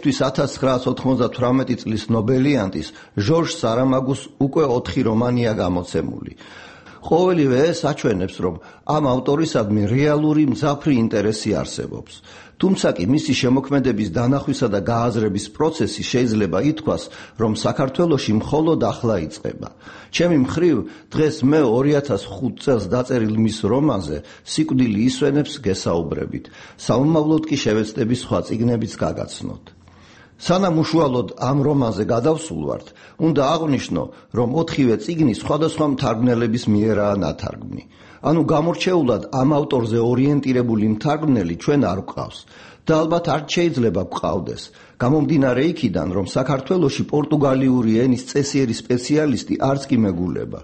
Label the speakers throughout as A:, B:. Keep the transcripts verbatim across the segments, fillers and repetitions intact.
A: თვის ათას ცხრაას ოთხმოცდათვრამეტი წლის ნობელიანტის ჟორჟ სარამაგუს უკვე ოთხი რომანია გამოცემული. ყოველივე ეს აჩვენებს, რომ ამ ავტორისადმი რეალური მძაფრი ინტერესი არსებობს. თუმცა კი მისი შემოქმედების დანახვისა და გააზრების პროცესი შეიძლება ითქვას, რომ საქართველოში მხოლოდ ახლა იწყება. ჩემი მხრივ, დღეს მე ორი ათას ხუთ წელს დაწერილ მის რომანზე სიკვდილი ისვენებს გესაუბრებით. სამომავლოდ კი შევეცდები სხვა წიგნებიც გაგაცნოთ. სანამ უშუალოდ ამ რომანზე გადავსულვართ, უნდა აღვნიშნო, რომ ოთხივე წიგნი სხვადასხვა მთარგმნელების მიერაა ნათარგმნი. ანუ გამორჩეულად ამ ავტორზე ორიენტირებული მთარგმნელი ჩვენ არ გვყავს და ალბათ არ შეიძლება გვყავდეს. გამომდინარე იქიდან, რომ საქართველოში პორტუგალიური ენის წესიერი სპეციალისტი არც კი მეგულება.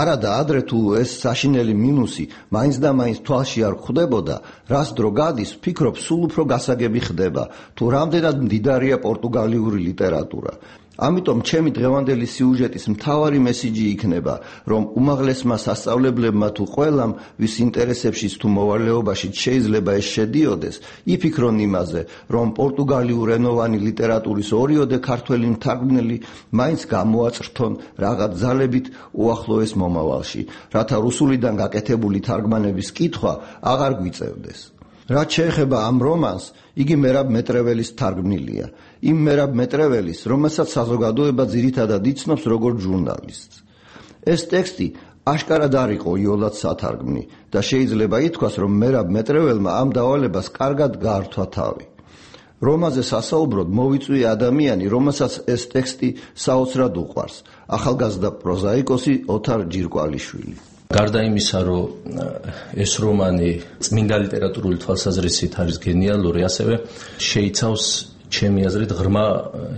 A: არადა ადრე თუ ეს საშინელი მინუსი მაინც და მაინც თვალში არ ხვდებოდა, რას დრო გადის, ვფიქრობ, სულ უფრო გასაგები ხდება, თუ რამდენად მდიდარია პორტუგალიური ლიტერატურა. ამიტომ ჩემი დღევანდელი სიუჟეტის მთავარი მესიჯი იქნება, რომ უმაღლესმა სასწავლებლებმა თუ ყველამ, ვის ინტერესებშიც თუ მოვალეობაშიც შეიძლება ეს შედიოდეს, იფიქრონ იმაზე, რომ პორტუგალიურ ენოვანი ლიტერატურის ორიოდე ქართველი მთარგმნელი მაინც გამოაწრთონ რაღაც ძალებით უახლოეს მომავალში, რათა რუსულიდან გაკეთებული თარგმანების კითხვა აღარ გვიწევდეს. რაც შეეხება ამ რომანს, იგი მერაბ მეტრეველის თარგმნილია. იმ მერაბ მეტრეველის, რომელსაც საზოგადოება ძირითადად იცნობს როგორც ჟურნალისტს. ეს ტექსტი აშკარად არ იყო იოლად სათარგმნი და შეიძლება ითქვას, რომ მერაბ მეტრეველმა ამ დავალებას კარგად გაართვა თავი. რომანზე სასაუბროდ მოვიწვია ადამიანი, რომელსაც ეს ტექსტი საოცრად უყვარს, ახალგაზრდა პროზაიკოსი ოთარ ჯირკვალიშვილი.
B: გარდა იმისა, რომ ეს რომანი წმინდა ლიტერატურული თვალსაზრისით არის გენიალური, ასევე შეიცავს ჩემი აზრით ღრმა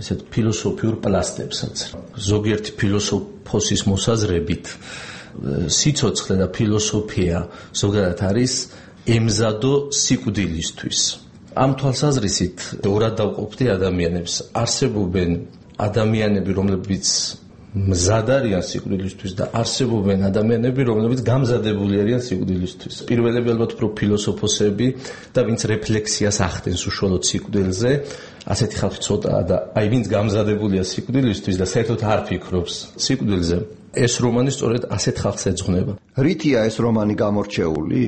B: ესეთ ფილოსოფიურ პლასტებსაც. ზოგიერთი ფილოსოფოსის მოსაზრებით სიცოცხლე და ფილოსოფია ზოგადად არის ემზადო სიკვდილისთვის. ამ თვალსაზრისით ორად დავყოფდი ადამიანებს. არსებობენ ადამიანები, რომლებიც მზად არიან სიკვდილისთვის და არსებობენ ადამიანები, რომლებიც გამზადებული არიან სიკვდილისთვის. პირველები ალბათ უფრო ფილოსოფოსები და ვინც რეფლექსიას ახდენს უშუალოდ სიკვდილზე, ასეთი ხალხი ცოტაა და აი ვინც გამზადებულია სიკვდილისთვის და საერთოდ არ ფიქრობს სიკვდილზე, ეს რომანი სწორედ ასეთ ხალხს ეძღვნება.
A: რითია ეს რომანი გამორჩეული?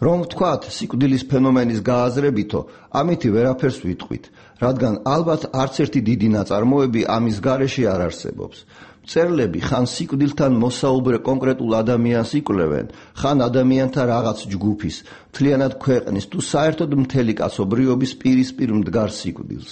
A: რომ ვთქვათ, სიკვდილის ფენომენის გააზრებითო, ამითი ვერაფერს ვიტყვით, რადგან ალბათ არც ერთი დიდი ნაწარმოები ამის გარეშე არ არსებობს. მწერლები ხან სიკვდილთან მოსაუბრე კონკრეტულ ადამიანს იკვლევენ, ხან ადამიანთა რაღაც ჯგუფის, მთლიანად ქვეყნის თუ საერთოდ მთელი კაცობრიობის პირისპირ მდგარ სიკვდილს.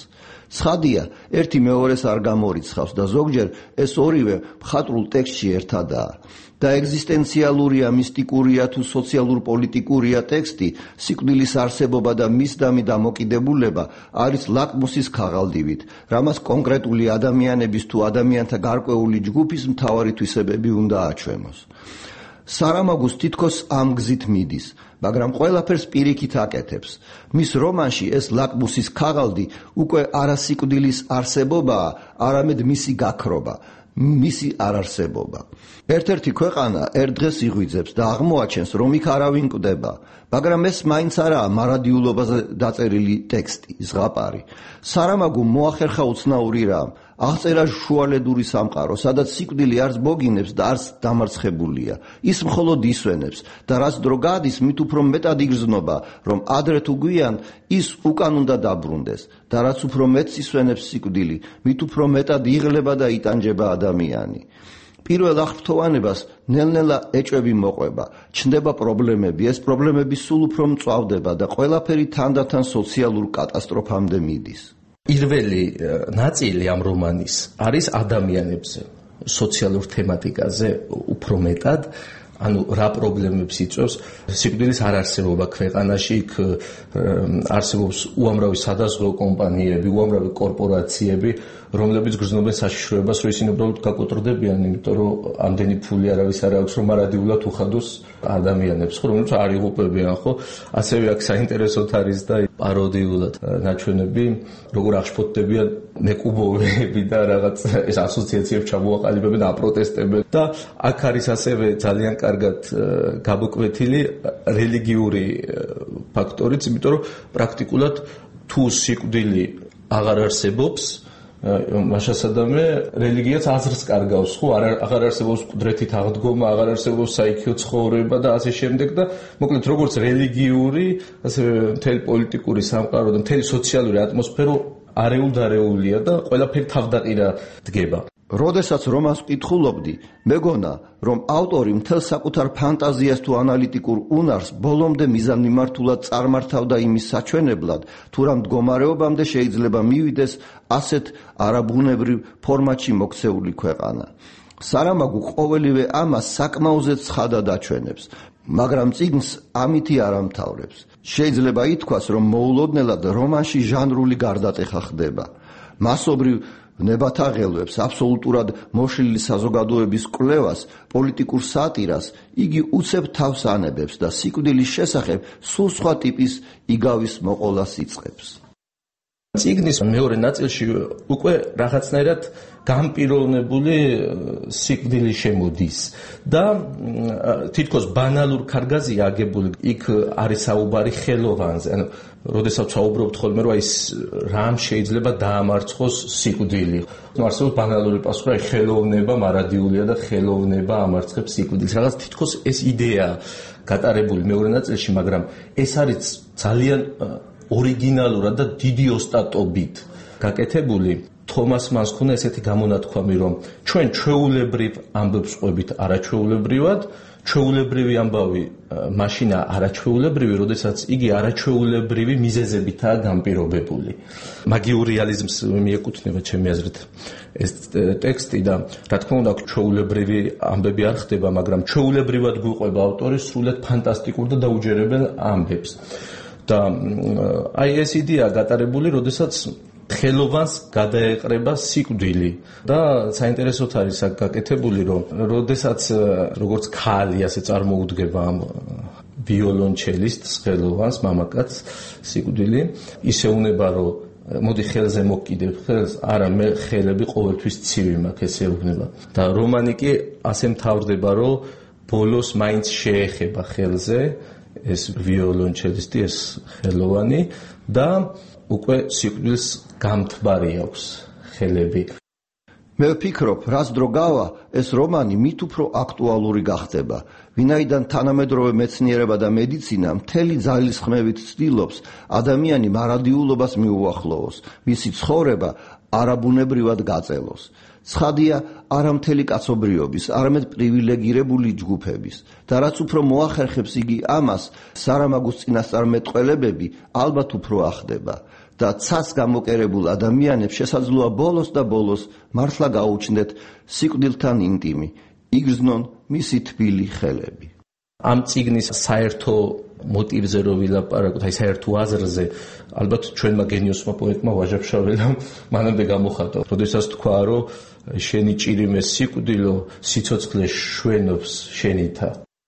A: ცხადია, ერთი მეორეს არ გამორიცხავს და ზოგჯერ ეს ორივე მხატვრულ ტექსტში ერთადაა. და ეგზისტენციალურია, მისტიკურია თუ სოციალურ-პოლიტიკურია ტექსტი, სიკვდილის არსებობა და მისდამი დამოკიდებულება არის ლაკმუსის ქაღალდივით, რამაც კონკრეტული ადამიანების თუ ადამიანთა გარკვეული ჯგუფის მთავარი თვისებები უნდა აჩვენოს. სარამაგუს თითქოს ამ გზით მიდის, მაგრამ ყველაფერს პირიქით აკეთებს. მის რომანში ეს ლაკმუსის ქაღალდი უკვე არა სიკვდილის არსებობაა, არამედ მისი გაქრობა, მისი არარსებობა. ერთ-ერთი ქვეყანა ერთ დღეს იღვიძებს და აღმოაჩენს, რომ იქ არავინ კვდება, მაგრამ ეს მაინც არაა მარადიულობაზე დაწერილი ტექსტი, ზღაპარი. სარამაგუმ მოახერხა უცნაური რამ, აღწერა შუალედური სამყარო, სადაც სიკვდილი არც ბოგინებს და არც დამარცხებულია. ის მხოლოდ ისვენებს და რაც დრო გადის, მით უფრო მეტად იგრძნობა, რომ ადრე თუ გვიან ის უკან უნდა დაბრუნდეს და რაც უფრო მეტს ისვენებს სიკვდილი, მით უფრო მეტად იღლება და იტანჯება ადამიანი. პირველ აღფრთოვანებას ნელ-ნელა ეჭვები მოყვება, ჩნდება პრობლემები, ეს პრობლემები სულ უფრო მწვავდება და ყველაფერი თანდათან სოციალურ კატასტროფამდე მიდის.
B: პირველი ნაწილი ამ რომანის არის ადამიანებზე, სოციალურ თემატიკაზე უფრო მეტად, ანუ რა პრობლემებს იწვევს სიკვდილის არარსებობა ქვეყანაში, იქ არსებობს უამრავი სადაზღვევო კომპანიები, უამრავი კორპორაციები, რომლებიც გრძნობენ საშიშროებას, რომ ისინი უბრალოდ გაკოტრდებიან, იმიტომ რომ ამდენი ფული არავის არ აქვს, რომ მარადიულად უხადოს ადამიანებს, ხო, რომლებიც არ იღუპებიან, ხო? ასევე აქ საინტერესოდ არის და პაროდიულად ნაჩვენები, როგორ აღშფოთდებიან მეკუბოები და რაღაც ეს ასოციაციებს ჩამოაყალიბებენ, აპროტესტებენ და აქ არის ასევე ძალიან კარგად გამოკვეთილი რელიგიური ფაქტორიც, იმიტომ რომ პრაქტიკულად თუ სიკვდილი აღარ არსებობს მაშასადამე რელიგიაც აზრს კარგავს, ხო, აღარ არსებობს მკვდრეთით აღდგომა, აღარ არსებობს საიქიო ცხოვრება და ასე შემდეგ და მოკლედ როგორც რელიგიური, ასევე მთელი პოლიტიკური სამყარო და მთელი სოციალური ატმოსფერო არეულ-დარეულია და ყველაფერი თავდაყირა დგება.
A: როდესაც რომანს ვკითხულობდი, მეგონა, რომ ავტორი მთელ საკუთარ ფანტაზიას თუ ანალიტიკურ უნარს ბოლომდე მიზანმიმართულად წარმართავდა იმის საჩვენებლად, თუ რა მდგომარეობამდე შეიძლება მივიდეს ასეთ არაბუნებრივ ფორმატში მოქცეული ქვეყანა. სარამაგუ ყოველივე ამას საკმაოზე ცხადად აჩვენებს, მაგრამ წიგნს ამითი არ ამთავრებს. შეიძლება ითქვას, რომ მოულოდნელად რომანში ჟანრული გარდატეხა ხდება. მასობრივ ნებათაღელვებს, აბსოლუტურად მოშლილი საზოგადოების კვლევას, პოლიტიკურ სატირას იგი უცებ თავს ანებებს და სიკვდილის შესახებ სულ სხვა ტიპის იგავის მოყოლას იწყებს.
B: წიგნის მეორე ნაწილში უკვე რაღაცნაირად გამპიროვნებული სიკვდილი შემოდის და თითქოს ბანალურ კარგაზია აგებული. იქ არის საუბარი ხელოვანზე, ანუ როდესაც საუბრობთ ხოლმე რომ ის რამ შეიძლება დაამარცხოს სიკვდილი. არსებობს ბანალური პასუხი, აი ხელოვნება მარადიულია და ხელოვნება ამარცხებს სიკვდილს. რაღაც თითქოს ეს იდეა გატარებული მეორე ნაწილში, მაგრამ ეს არის ძალიან ორიგინალურად და დიდი ოსტატობით გაკეთებული. თომას მანს ქონა ესეთი გამონათქვამი, რომ ჩვენ ჩვეულებრივ ამბებს ყვებით არაჩვეულებრივად, ჩვეულებრივი ამბავი მაშინა არაჩვეულებრივი, როდესაც იგი არაჩვეულებრივი მიზეზებითაა განპირობებული. მაგიურ რეალიზმს მიეკუთვნება ჩემი აზრით ეს ტექსტი და რა თქმა უნდა ჩვეულებრივი ამბები არ ხდება, მაგრამ ჩვეულებრივად გვიყვება ავტორის სრულად ფანტასტიკურ და დაუჯერებელ ამბებს. და აი ეს იდეა გატარებული, როდესაც ხელოვანს გადაეყრება სიკვდილი და საინტერესოდ არის აქ გაკეთებული, რომ როდესაც როგორც ქალი ასე წარმოუდგება ამ ვიოლონჩელისტს, ხელოვანს, მამაკაცს სიკვდილი, ისე უნება რომ მოდი ხელზე მოკიდებ ხელს, არა მე ხელები ყოველთვის ცივი მაქვს, ესე უნება. და რომანი კი ასე მთავრდება, რომ ბოლოს მაინც შეეხება ხელზე ეს ვიოლონჩელისტი, ეს ხელოვანი და უკვე სიკვდილს გამთბარი აქვს ხელები.
A: მე ვფიქრობ, რაც დრო გავა, ეს რომანი მით უფრო აქტუალური გახდება, ვინაიდან თანამედროვე მეცნიერება და მედიცინა მთელი ძალისხმევით ცდილობს ადამიანი მარადიულობას მიუახლოვოს, მისი ცხოვრება არაბუნებრივად გაწელოს. ცხადია, არა მთელი კაცობრიობის, არამედ პრივილეგირებული ჯგუფების და რაც უფრო მოახერხებს იგი ამას, სარამაგუს წინასწარმეტყველებები ალბათ უფრო ახდება და ცას გამოკერებულ ადამიანებს შესაძლოა ბოლოს და ბოლოს მართლა გაუჩნდეთ სიკვდილთან ინტიმი, იგრძნონ მისი თბილი ხელები.
B: ამ წიგნის საერთო მოტივზე რო ვილაპარაკოთ, აი საერთო აზრზე, ალბათ ჩვენმა გენიოსმა პოეტმა ვაჟა-ფშაველამ მანამდე გამოხატა, როდესაც თქვა, რომ შენი ჭირიმე სიკვდილო, სიცოცხლე შვენობს შენითა.